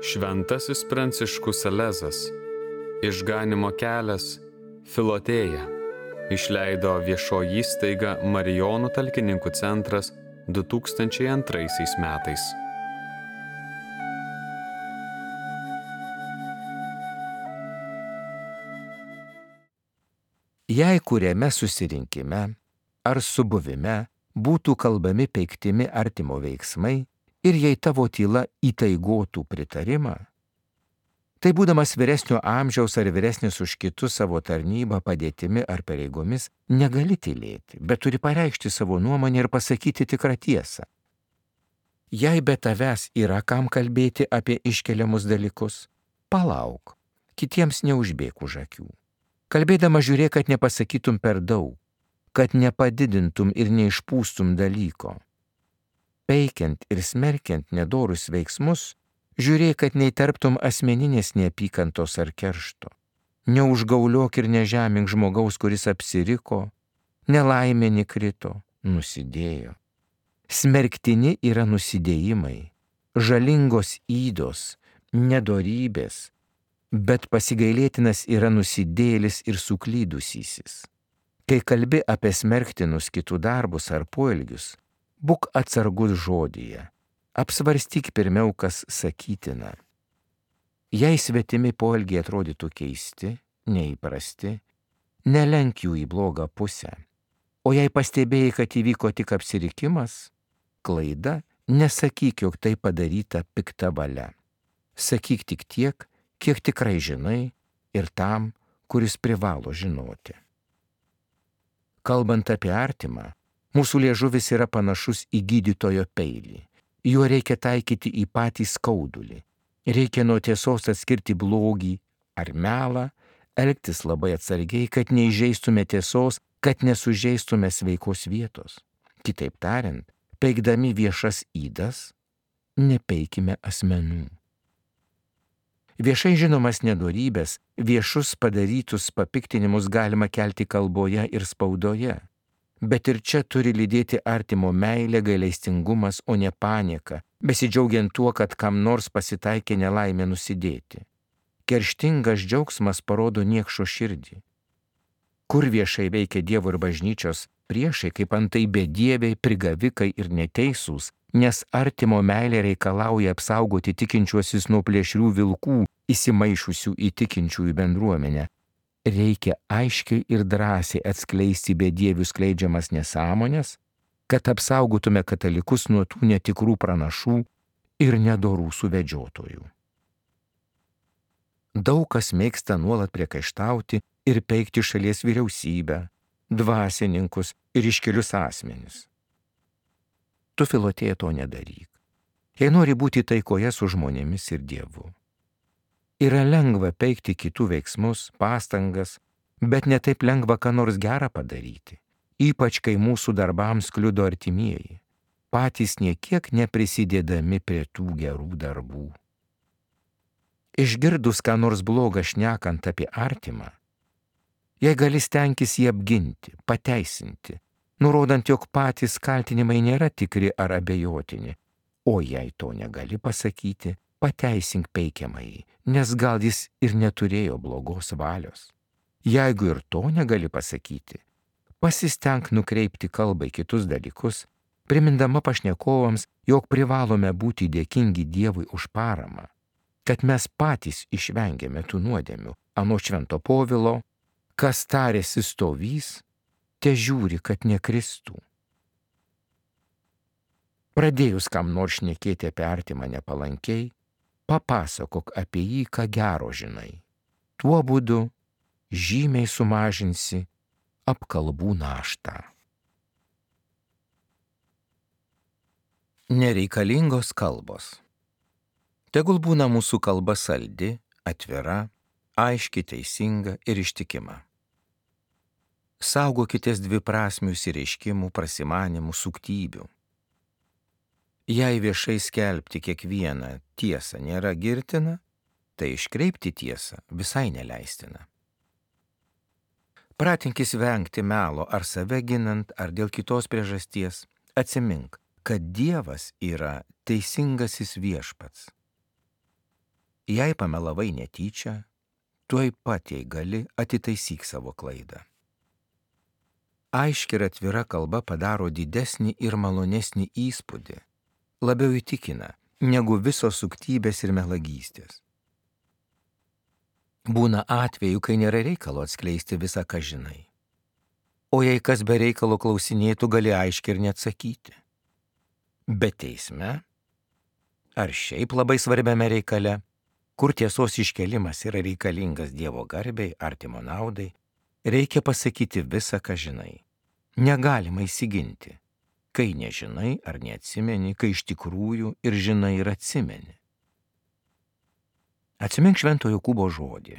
Šventasis Pranciškus Salezas, Išganymo kelias, Filotėja, išleido viešoji įstaiga Marijonų talkininkų centras 2002 metais. Jei kuriame susirinkime ar subuvime būtų kalbami peiktimi artimo veiksmai ir jei tavo tyla įtaigotų pritarimą, tai būdamas vyresnio amžiaus ar vyresnis už kitus savo tarnybą, padėtimi ar pareigomis, negali tylėti, bet turi pareikšti savo nuomonę ir pasakyti tikrą tiesą. Jei be tavęs yra kam kalbėti apie iškeliamus dalykus, palauk, kitiems neužbėk už akių. Kalbėdama žiūrėk, kad nepasakytum per daug, kad nepadidintum ir neišpūstum dalyko. Peikiant ir smerkiant nedorus veiksmus, žiūrėk, kad neįterptum asmeninės neapykantos ar keršto. Neužgauliok ir nežemink žmogaus, kuris apsiriko, nelaimė nekrito, nusidėjo. Smerktini yra nusidėjimai, žalingos ydos, nedorybės, bet pasigailėtinas yra nusidėjėlis ir suklydusysis. Kai kalbi apie smerktinus kitų darbus ar poelgius, būk atsargus žodyje, apsvarstyk pirmiau, kas sakytina. Jei svetimi poelgiai atrodytų keisti, neįprasti, nelenk jų į blogą pusę. O jei pastebėjai, kad įvyko tik apsirikimas, klaida, nesakyk, jog tai padaryta pikta valia. Sakyk tik tiek, kiek tikrai žinai ir tam, kuris privalo žinoti. Kalbant apie artimą, mūsų liežuvis yra panašus į gydytojo peilį. Juo reikia taikyti į patį skaudulį. Reikia nuo tiesos atskirti blogį ar melą, elgtis labai atsargiai, kad neįžeistume tiesos, kad nesužeistume sveikos vietos. Kitaip tariant, peikdami viešas ydas, nepeikime asmenų. Viešai žinomas nedorybės, viešus padarytus papiktinimus galima kelti kalboje ir spaudoje, bet ir čia turi lydėti artimo meilė, gailestingumas, o ne panieka, besidžiaugiant tuo, kad kam nors pasitaikė nelaimė nusidėti. Kerštingas džiaugsmas parodo niekšo širdį. Kur viešai veikia Dievo ir bažnyčios priešai, kaip antai bedieviai, prigavikai ir neteisūs, nes artimo meilė reikalauja apsaugoti tikinčiuosius nuo plėšrių vilkų, įsimaišusių į tikinčiųjų bendruomenę. Reikia aiškiai ir drąsiai atskleisti bedievių skleidžiamas nesąmonės, kad apsaugotume katalikus nuo tų netikrų pranašų ir nedorų suvedžiotojų. Daug kas mėgsta nuolat priekaištauti ir peikti šalies vyriausybę, dvasininkus ir iškilius asmenis. Tu, Filotėja, to nedaryk. Jei nori būti taikoje su žmonėmis ir Dievu. Yra lengva peikti kitų veiksmus, pastangas, bet ne taip lengva ką nors gerą padaryti, ypač kai mūsų darbams kliudo artimieji, patys niekiek neprisidėdami prie tų gerų darbų. Išgirdus ką nors blogą šnekant apie artimą, jei gali stenkis jį apginti, pateisinti, nurodant, jog patys kaltinimai nėra tikri ar abejotini, o jei to negali pasakyti, pateisink peikiamąjį, nes gal jis ir neturėjo blogos valios. Jeigu ir to negali pasakyti, pasistenk nukreipti kalbą į kitus dalykus, primindama pašnekovams, jog privalome būti dėkingi Dievui už paramą, kad mes patys išvengėme tų nuodėmių, anot Švento Povilo, kas tarėsi stovys, te žiūri, kad nekristų. Pradėjus kam nors šnekėti apie artimą nepalankiai, papasakok apie jį, ką gero žinai. Tuo būdu žymiai sumažinsi apkalbų naštą. Nereikalingos kalbos. Tegul būna mūsų kalba saldi, atvira, aiški, teisinga ir ištikima. Saugokitės dviprasmių išsireiškimų, prasimanimų, suktybių. Jei viešai skelbti kiekvieną tiesą nėra girtina, tai iškreipti tiesą visai neleistina. Pratinkis vengti melo ar save ginant, ar dėl kitos priežasties, atsimink, kad Dievas yra teisingasis viešpats. Jei pamelavai netyčia, tuoj pat, jei gali, atitaisyk savo klaidą. Aiški ir atvira kalba padaro didesnį ir malonesnį įspūdį, labiau įtikina, negu visos suktybės ir melagystės. Būna atvejų, kai nėra reikalo atskleisti visą, ką žinai. O jei kas be reikalo klausinėtų, gali aiškiai ir neatsakyti. Bet teisme, ar šiaip labai svarbiame reikale, kur tiesos iškelimas yra reikalingas Dievo garbei, artimo naudai, reikia pasakyti visą, ką žinai. Negalima įsiginti, kai nežinai ar neatsimeni, kai iš tikrųjų ir žinai ir atsimeni. Atsimink Švento Jokūbo žodį.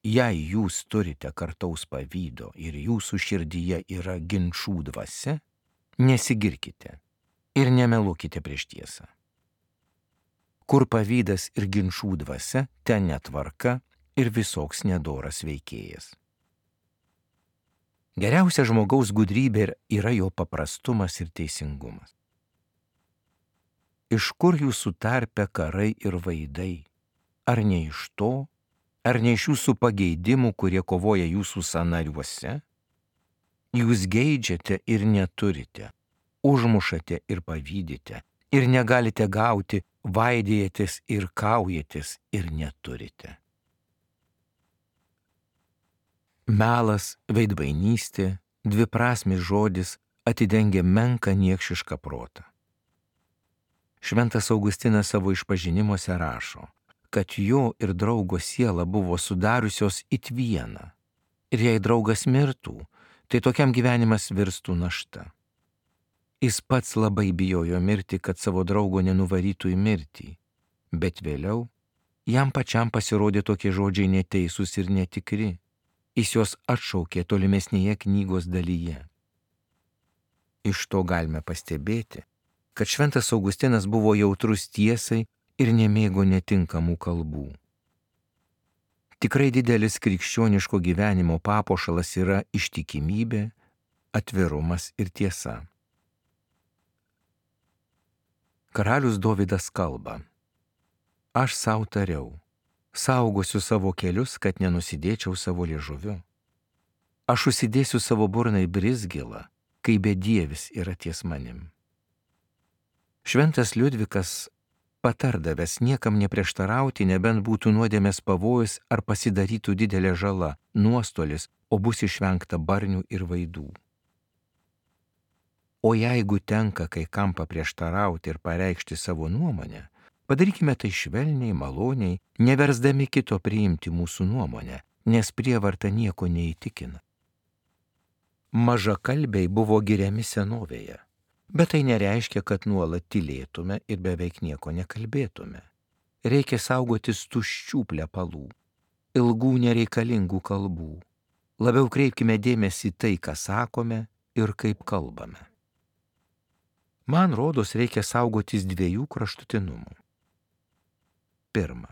Jei jūs turite kartaus pavydo ir jūsų širdyje yra ginčų dvasia, nesigirkite ir nemeluokite prieš tiesą. Kur pavydas ir ginčų dvasia, ten netvarka ir visoks nedoras veikėjas. Geriausia žmogaus gudrybė yra jo paprastumas ir teisingumas. Iš kur jūsų tarpe karai ir vaidai? Ar ne iš to, ar ne iš jūsų pageidimų, kurie kovoja jūsų sąnariuose? Jūs geidžiate ir neturite, užmušate ir pavydite, ir negalite gauti, vaidėjatės ir kaujatės ir neturite. Melas, veidmainystė, dviprasmis žodis atidengia menką niekšišką protą. Šventas Augustinas savo išpažinimuose rašo, kad jo ir draugo siela buvo sudariusios it vieną. Ir jei draugas mirtų, tai tokiam gyvenimas virstų našta. Jis pats labai bijojo mirti, kad savo draugo nenuvarytų į mirtį, bet vėliau jam pačiam pasirodė tokie žodžiai neteisūs ir netikri. Jis juos atšaukė tolimesnėje knygos dalyje. Iš to galime pastebėti, kad Šventas Augustinas buvo jautrus tiesai ir nemėgo netinkamų kalbų. Tikrai didelis krikščioniško gyvenimo papuošalas yra ištikimybė, atvirumas ir tiesa. Karalius Dovydas kalba: Aš sau tariau, saugosiu savo kelius, kad nenusidėčiau savo liežuviu. Aš užsidėsiu savo burną į brizgilą, kai bedievis yra ties manim. Šventas Liudvikas patardavęs niekam neprieštarauti, nebent būtų nuodėmės pavojus ar pasidarytų didelė žala, nuostolis, o bus išvengta barnių ir vaidų. O jeigu tenka kai kam paprieštarauti ir pareikšti savo nuomonę, padarykime tai švelniai, maloniai, neversdami kito priimti mūsų nuomonę, nes prievarta nieko neįtikina. Mažakalbiai buvo giriami senovėje, bet tai nereiškia, kad nuolat tylėtume ir beveik nieko nekalbėtume. Reikia saugotis tuščių plepalų, ilgų nereikalingų kalbų. Labiau kreipkime dėmesį tai, ką sakome ir kaip kalbame. Man rodos, reikia saugotis dviejų kraštutinumų. Pirma,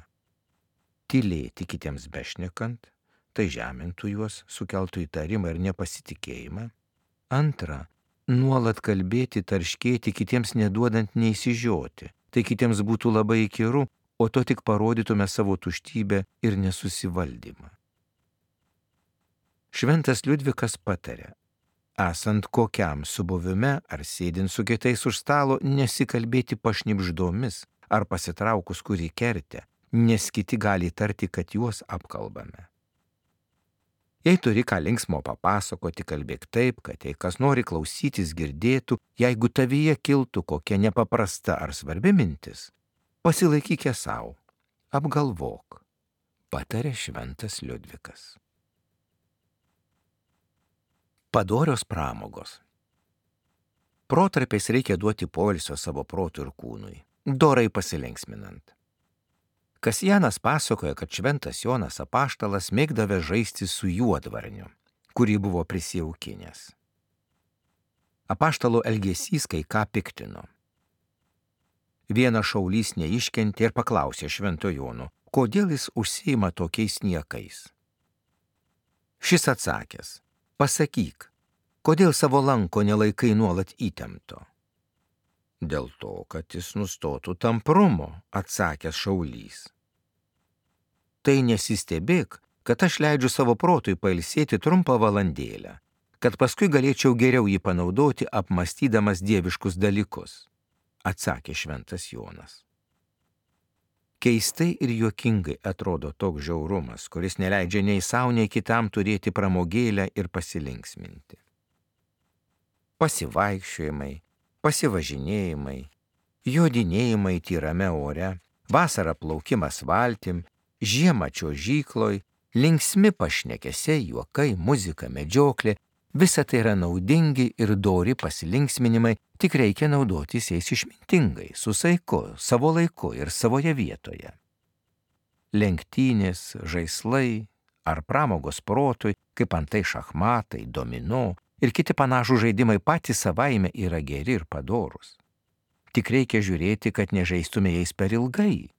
tylėti kitiems bešnekant, tai žemintų juos, sukeltų įtarimą ir nepasitikėjimą. Antra, nuolat kalbėti, tarškėti, kitiems neduodant neįsižioti, tai kitiems būtų labai įkyru, o to tik parodytume savo tuštybę ir nesusivaldymą. Šventas Liudvikas patarė, esant kokiam subuvime ar sėdint su kitais už stalo, nesikalbėti pašnibždomis ar pasitraukus kurį kertę, nes kiti gali tarti, kad juos apkalbame. Jei turi ką linksmo papasakoti, kalbėk taip, kad jei kas nori klausytis girdėtų, jeigu tavyje kiltų kokia nepaprasta ar svarbi mintis, pasilaikyk ją savo, apgalvok, patarė Šventas Liudvikas. Padorios pramogos. Protarpiais reikia duoti poilsio savo protui ir kūnui, dorai pasilinksminant. Kasjanas pasakoja, kad Šventas Jonas Apaštalas mėgdavė žaisti su juodvarniu, kurį buvo prisijaukinęs. Apaštalo elgesys kai ką piktino. Vienas šaulys neiškentė ir paklausė Švento Jono, kodėl jis užsiima tokiais niekais. Šis atsakęs, pasakyk, kodėl savo lanko nelaikai nuolat įtempto. Dėl to, kad jis nustotų tamprumo, atsakęs šaulys. Tai nesistebėk, kad aš leidžiu savo protui pailsėti trumpą valandėlę, kad paskui galėčiau geriau jį panaudoti apmastydamas dieviškus dalykus, atsakė šventas Jonas. Keistai ir juokingai atrodo toks žiaurumas, kuris neleidžia nei savo, nei kitam turėti pramogėlę ir pasilinksminti. Pasivaikščiojimai, pasivažinėjimai, jodinėjimai tyrame ore, vasarą plaukimas valtim, žiemą čiuožykloj, linksmi pašnekesiai, juokai, muzika, medžioklė, visa tai yra naudingi ir dori pasilinksminimai, tik reikia naudotis jais išmintingai, su saiku, savo laiku ir savoje vietoje. Lenktynės, žaislai ar pramogos protui, kaip antai šachmatai, domino ir kiti panašų žaidimai patys savaime yra geri ir padorūs. Tik reikia žiūrėti, kad nežaistume jais per ilgai,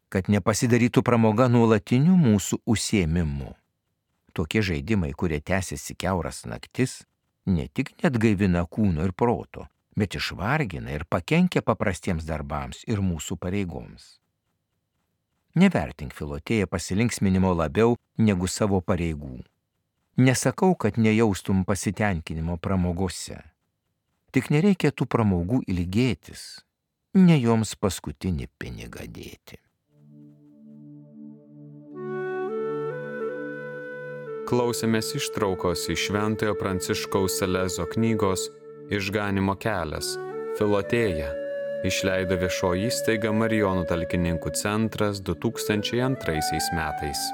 kad nepasidarytų pramoga nuolatiniu mūsų užsiėmimu. Tokie žaidimai, kurie tęsiasi kiauras naktis, ne tik neatgaivina kūno ir proto, bet išvargina ir pakenkia paprastiems darbams ir mūsų pareigoms. Nevertink, Filotėja, pasilinksminimo labiau negu savo pareigų. Nesakau, kad nejaustum pasitenkinimo pramogose. Tik nereikia tų pramogų ilgėtis, ne joms paskutinį pinigą dėti. Klausėmės ištraukos iš Šventojo Pranciškaus Salezo knygos Išganymo kelias – Filotėja, išleido viešoji įstaiga Marijonų talkininkų centras 2002 metais.